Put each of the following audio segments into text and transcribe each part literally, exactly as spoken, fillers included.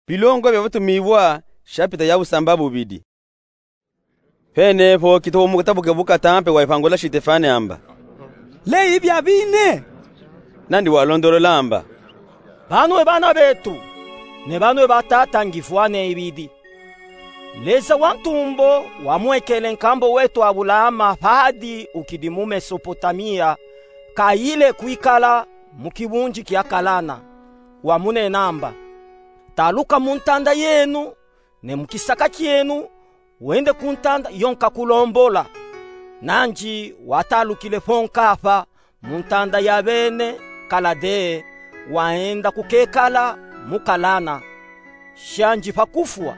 Bilongo bia batumibua, shapita ya busambabubidi. Pene po Kitovo mu katabuke bu katampe waipangula Sitefane amba: Leyi bia bine? Nandi walondolola amba: Banwe bana betu, ne banwe batata, ngifwa neyi bidi. Leza wa ntumbo wamwekele nkambo wetu Abulahama padi ukidi mu Mesopotamia, kayile kwikala mu kibunji kia Kalana. Wamunena amba: Taluka mu ntanda yenu, ne mu kisaka kienu, wende ku ntanda yo nkakulombola. Nandi watalukile po nkapa, mu ntanda ya bene Kaladee, waenda kukekala mu Kalana. Shandi pa kufwa,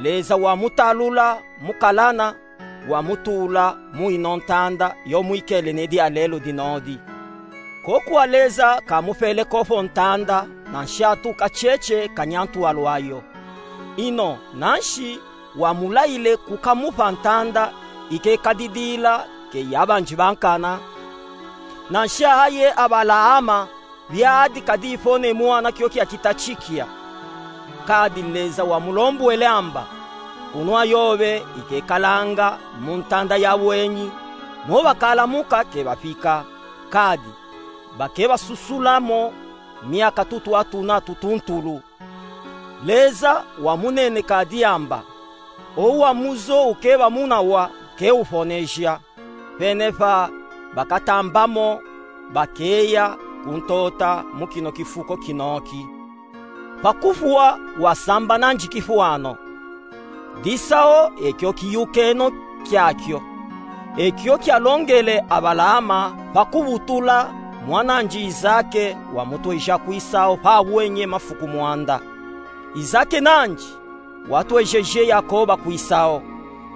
Leza wamutalula mu Kalana, wamutula mu ino ntanda yo mwikele ne dialelo dinodi. Koku Leza kamupele ko po ntanda, nanshatu kacheche kanyantwalu ayo. Ino nanshi wamulayile kukamupa ntanda ikekadidila ke yabanji bankana. Nansha aye Abalahama biadi kadipo ne mwana kio kia kita chikia. Kadi Leza wamulombwele amba: Kunwa yobe ikekalanga mu ntanda ya bwenyi, mo bakalamuka ke bapika, kadi bakebasusulamo miaka tutwa tuna tutuntulu. Leza wamunene kadi amba: Owu wa muzo ukeba munawa ke uponeja. Pene pa bakatambamo, bakeya kuntota mu kino kifuko kinoki. Pa kufwa wasamba nandi kifwano. Disao ekio kiyukeno kiakio, ekio kialongele Abalahama pa kubutula mwanandi Izake wamutweja kwisao pa bwenyi mafuku mwanda. Izake nandi watwejeje Yakoba kwisao.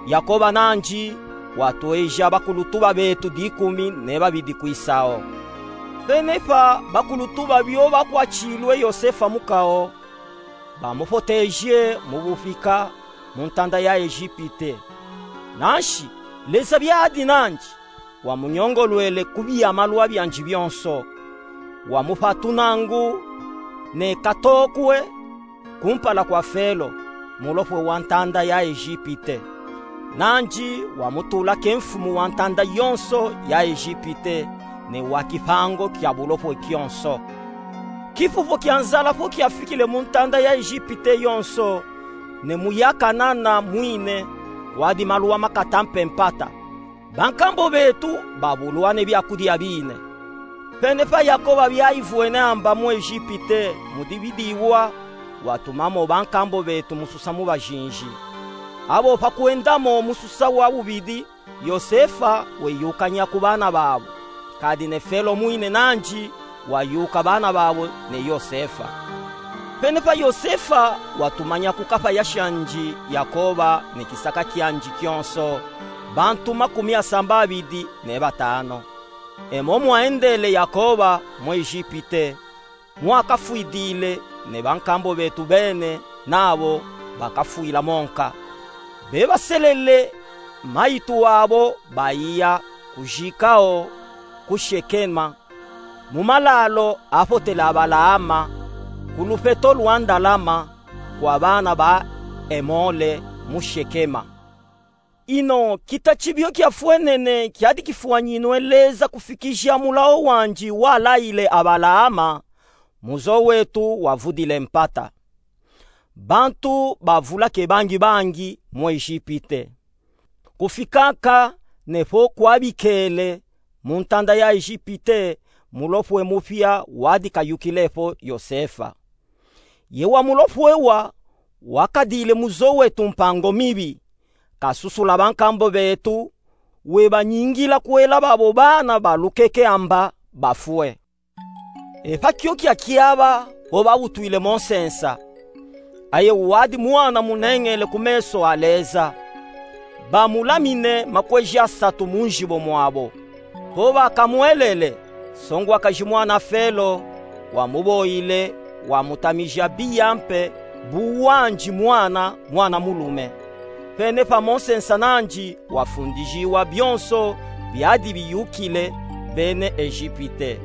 Yakoba nandi watweja bakulutuba betu dikumi ne babidi kwisao. Pene pa bakulutuba bio bakwachilwe Yosefa mukao, bamupoteje mu bupika mu ntanda ya Ejipite. Nanshi Leza biadi nandi wamunyongolwele ku bia malwa biandi bionso. Wamupa tunangu ne katokwe kumpala kwa Felo, mulopwe wa ntanda ya Ejipite. Nandi wamutula ke mfumu wa ntanda yonso ya Ejipite, ne wa kipango kia bulopwe kionso. Kifufu kia nzala po kiafikile mu ntanda ya Ejipite yonso, ne mu ya Kanana mwine, wadi maluwa makata mpe mpata. Bankambo betu babulwa ne biakudia bine. Pene pa Yakoba biayivwene amba mu Ejipite mu dibidiwa, watumamo bankambo betu mususa mu bajinji. Abo pa kwendamo mususa wa bubidi, Yosefa weyukanya ku bana babo, kadi ne Felo mwine nandi wayuka bana babo ne Yosefa. Pene pa Yosefa watumanya kukapa ya shandi Yakoba ne kisaka kiandi kionso, bantu makumi asambabidi ne batano. Emo mwaendele Yakoba mu Ejipite, mwakafwidile, ne bankambo betu bene nabo bakafwila monka. Bebaselele mayitu abo baiya kujikao ku Shekema, mu malalo apotele Abalahama, ku lupeto lwa ndalama, kwa bana ba Emole mu Shekema. Ino kita chibio kiafwenene kiadi kifwanyinwe Leza kufikija mulao wandi walayile Abalahama, muzo wetu wavudile mpata. Bantu bavula ke bangi bangi mu Ejipite. Kufikaka ne po kwabikele mu ntanda ya Ejipite, mulopwe mupia wadi kayukile po Yosefa. Ye wa mulopwe wa wakadile muzo wetu mpango mibi, kasusula bankambo betu, webanyingila kwela babo bana balukeke amba bafwe. E pa kio kiakiaba bo babutwile mo nsensa. Aye wadi mwana muneñele ku meso a Leza. Bamulamine makweji asatu mu njibo mwabo. Po bakamwelele, songwakaji mwana Felo wamuboile, wamutamija biya mpe bu wandi mwana, mwana mulume. Pene pa mo nsensa nandi wafundijiwa bionso biadi biyukile bene Ejipite.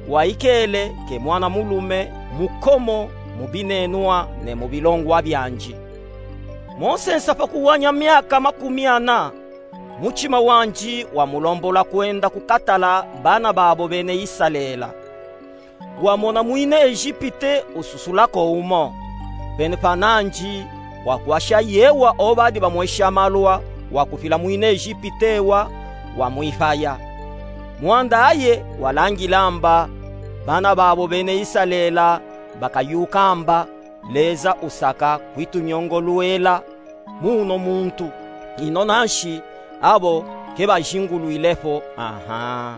Waikele ke mwana mulume mukomo mu binenwa ne mu bilongwa biandi. Mo nsensa pa kuwanya miaka makumi ana, mutima wandi wamulombola kwenda kukatala bana babo bene Isalele. Wamona mwine Ezipite ususula ko umo. Pene pa nandi, wakwasha yewa obadi bamwesha malwa wakufila mwine Ezipite wa, wamwifaya. Mwanda aye walangila amba, bana babo bene Isalele bakayuka amba, Leza usaka kwitunyongolwela mu uno muntu. Ino nanshi abo ke bazingulwile po. Aha.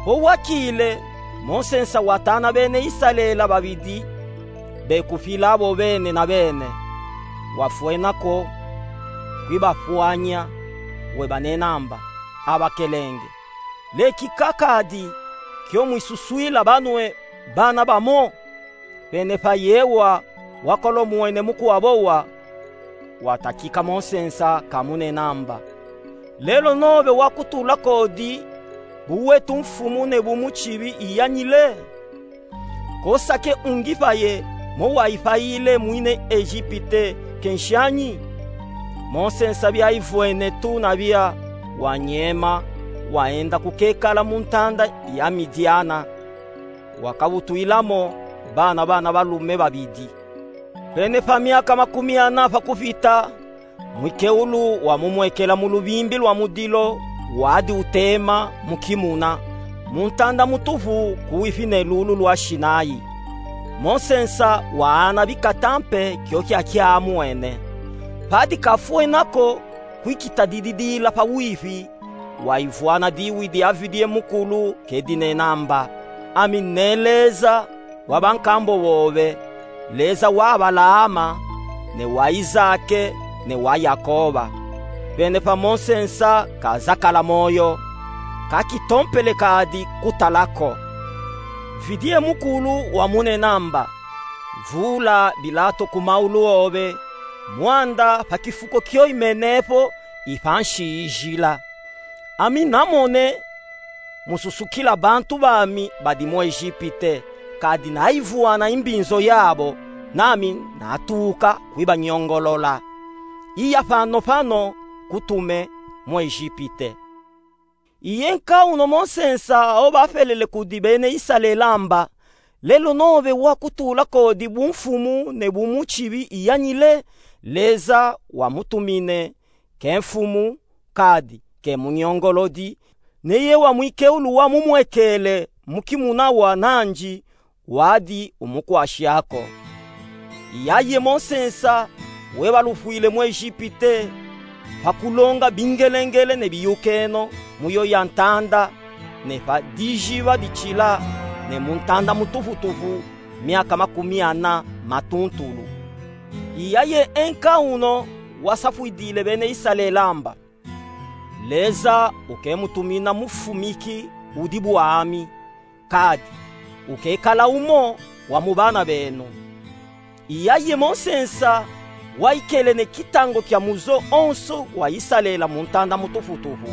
Po wakile, mo nsensa watana bene Isalele babidi bekufila abo bene na bene. Wafwena ko kwibafwanya, webanena amba, abakelenge, lekika kadi kio mwisuswila banwe bana bamo. Pene pa yewa wakolomwene mukwabo wa, watakika mo nsensa kamunena amba, lelo nobe wakutula kodi buwetu mfumu ne bumukibi iyanyile? Ko sake ungipaye mo waipayile mwine Ezipite ke nshanyi? Mo nsensa biaivwene tu nabia, wanyema, waenda kukekala mu ntanda ya Midiana. Wakabutwilamo bana, bana balume babidi. Pene pa miaka makumi ana pa kupita, mwikeulu wamumwekela mu lubimbi lwa mudilo wadi utema mu kimuna, mu ntanda mutupu kuwifi ne lulu lwa Sinayi. Mo nsensa waana bikata mpe kio kia kiamwene. Padi kafwena ko kwikitadididila pa wifi, waivwana diwidi Avidie Mukulu ke dinena amba, ami ne Leza wa bankambo bobe, Leza wa Abalahama, ne wa Izake, ne wa Yakoba. Pene pa mo nsensa kazakala moyo, kakitompele kadi kutala ko. Vidie Mukulu wamunena amba, vula bilato ku maulu obe, mwanda pa kifuko kio imene po, i pa nsi ijila. Ami namone mususukila bantu bami badi mu Ezipite, kadi naivwana imbinzo yabo, nami natuka kwibanyongolola. Iya pano pano kutume mu Ezipite. Iye nka uno mo nsensa awo bapelele kudi bene Isalele amba, lelo nobe wakutula kodi bumfumu ne bumukibi iyanyile? Leza wamutumine, ke mfumu, kadi ke munyongolodi, neye wa mwikeulu wamumwekele mu kimuna wa nandi, wadi umukwasha ko. Iyaye mo nsensa webalufwile mu Ezipite, pa kulonga bingelengele ne biyukeno mu yo ya ntanda, ne pa dijiba ditila, ne mu ntanda mutuputupu miaka makumi ana matuntulu. Iyaye e nka uno wasafwidile bene Isalele amba, Leza ukemutumina mufumiki udi bwami, kadi ukekala umo wa mu bana benu. Iyaye mo nsensa waikele ne kitango kia muzo onso wa Isalele mu ntanda mutuputupu.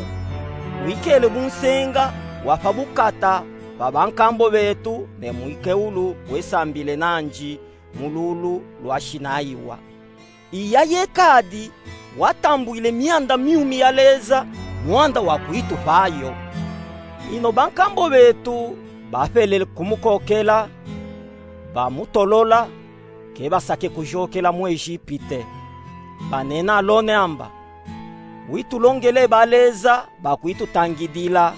Wikele bunsenga wa pa bukata pa bankambo betu ne mwikeulu wesambile nandi mu lulu lwa Sinayi wa. Iyaye kadi watambwile mianda miumi ya Leza, mwanda wa kwitupayo. Ino bankambo betu bapelele kumukokela, bamutolola, ke basake kuyokela mu Ezipite. Banena lone amba, witulongele baleza bakwitutangidila.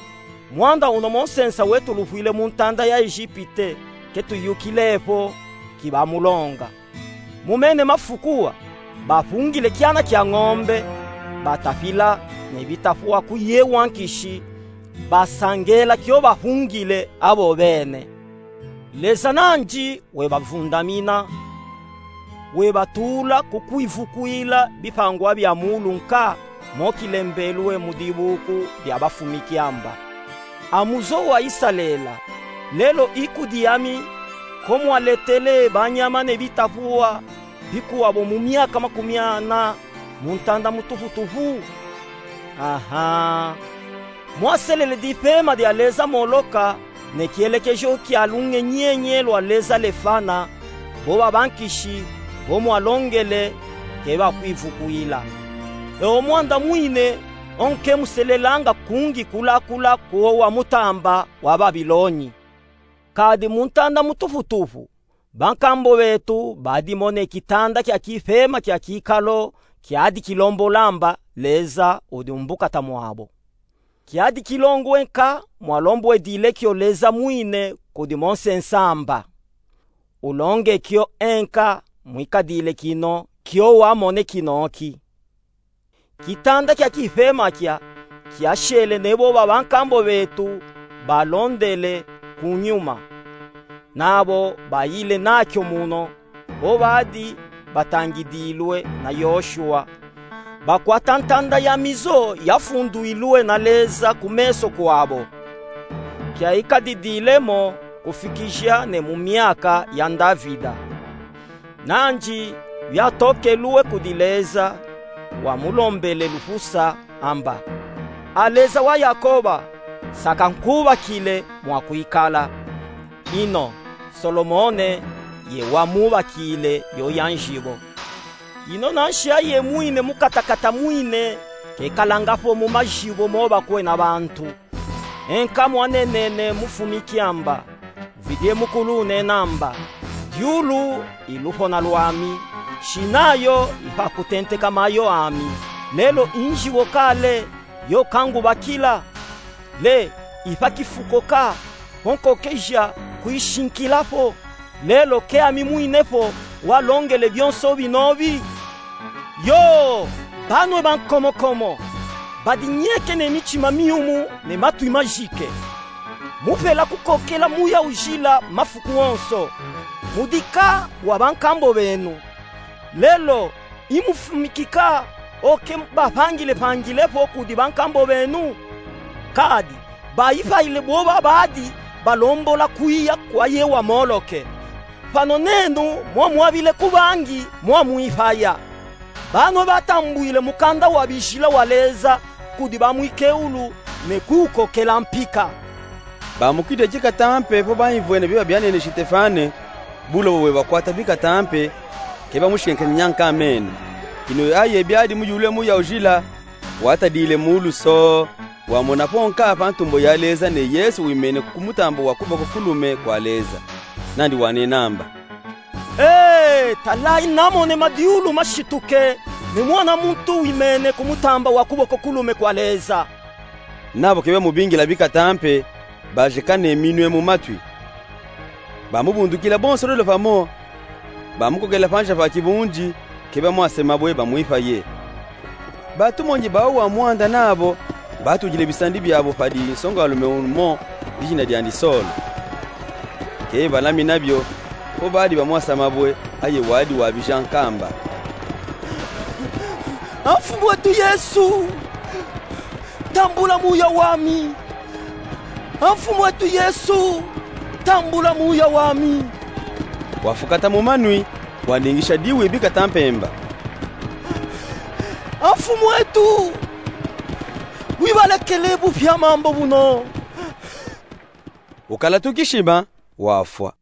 Mwanda uno mo nsensa wetulufwile mu ntanda ya Ezipite, ke tuyukile po ki bamulonga. Mu mene mafuku wa, bafungile kiana kia ngombe, batafila ne bitapuwa ku ye wa nkishi, basangela kio bafungile abo bene. Leza nandi webavundamina, webatula ku kwivukwila bipangwa bia muulu nka mo kilembelwe mu dibuku dia bafumiki amba, a muzo wa Isalele, lelo i kudi ami ko mwaletele banyama ne bitapuwa bikuwa bo mu miaka makumi ana mu ntanda mutuputupu? Aha. Mwaselele dipema dia leza Moloka, ne kielekejo kia lungenyenye lwa leza Lefana, bo babankishi, bo mwalongele, ke bakwivukwila. E o mwanda mwine, o nke muselelanga kungi kulakula ku o wa mutamba wa Babiloni. Kadi mu ntanda mutufutufu, bankambo betu badimone kitanda kia kifema kia kikalo kiadi kilombola amba Leza udi mu bukata mwabo. Kiadi kilongwe nka mwalombwedile kio Leza mwine kudi Mose nsamba. Ulonge kio enka mwikadile kino kio wamone kinoki. Kitanda kia kifema kia, kiashele ne bo babankambo betu balondele ku nyuma. Nabo bayile nakio muno, bo badi batangidilwe na Yoshua. Bakwata ntanda ya mizo yafundwilwe na Leza ku meso kwabo. Kiaikadidile mo kufikija ne mu miaka ya Ndavida. Nandi biatokelwe kudi Leza, wamulombele lufusa amba: A Leza wa Yakoba, saka nkubakile mwa kwikala. Ino, Solomone ye wamubakile yo ya njibo. Ino nanshi aye mwine mukatakata mwine, kekalanga fo mu majibo mo bakwe na bantu. Enka mwanenene mufumiki amba, vidie mukulu unena amba: Diulu i lupona lwami, shinayo i pa kutenteka mayo ami, lelo i njibo kale yo kangubakila? Le, i pa kifuko ka, ho nkokeja kuyishinkila fo, lelo ke ami mwine fo walongele byonso binobi? Yo, banwe bankomokomo, badinyeke ne mitima miumu ne matwi majike. Mufela kukokela Muya Ujila mafuku onso. Mudika wa bankambo benu. Lelo, i mufumiki ka o ke bapangilepangile fo kudi bankambo benu? Kadi, bayipayile bo babadi balombola kwiya kwa ye wa Moloke. Pano nenu mwamwabile ku bangi mwamwipaya. Banwe batambwile mukanda wa bijila wa Leza kudi bamwikeulu ne kuwukokela mpika. Bamukide kikatampe fo baimvwene byo babyanene Sitefane, bulobo bwe bakwata bikatampe, ke bamushenkenye nyanka mene. Ino aye byadi muyulwe Muya Ujila, watadile muulu so, wamona fo nka pa ntumbo ya Leza ne Yesu wimene ku mutambo wa kuboko kulume kwa Leza. Nandi wanena amba: Ee, talayi namone madiulu mashituke, ne Mwana muntu wimene ku mutambo wa kuboko kulume kwa Leza. Nabo ke bamubingila bikatampe, bajeka ne minwe mu matwi. Bamubundukila bonso lwelo pamo, bamukokela panza pa kibundi, ke bamwasa mabwe bamwipaye. Batumonyi bawu wa mwanda nabo batudile bisandi byabo padi nsongalume umo dijina dyandi Solo. Ke balamina byo, fo badi bamwasa mabwe, aye wadi wabija nka amba: A Mfumu wetu Yesu, tambula muya wami! A Mfumu wetu Yesu, tambula muya wami! Wafukata mu manwi, waningisha diwi bikatampe amba: A Mfumu wetu, wibalekele bupya mambo buno! Ukala tukishima, wafwa.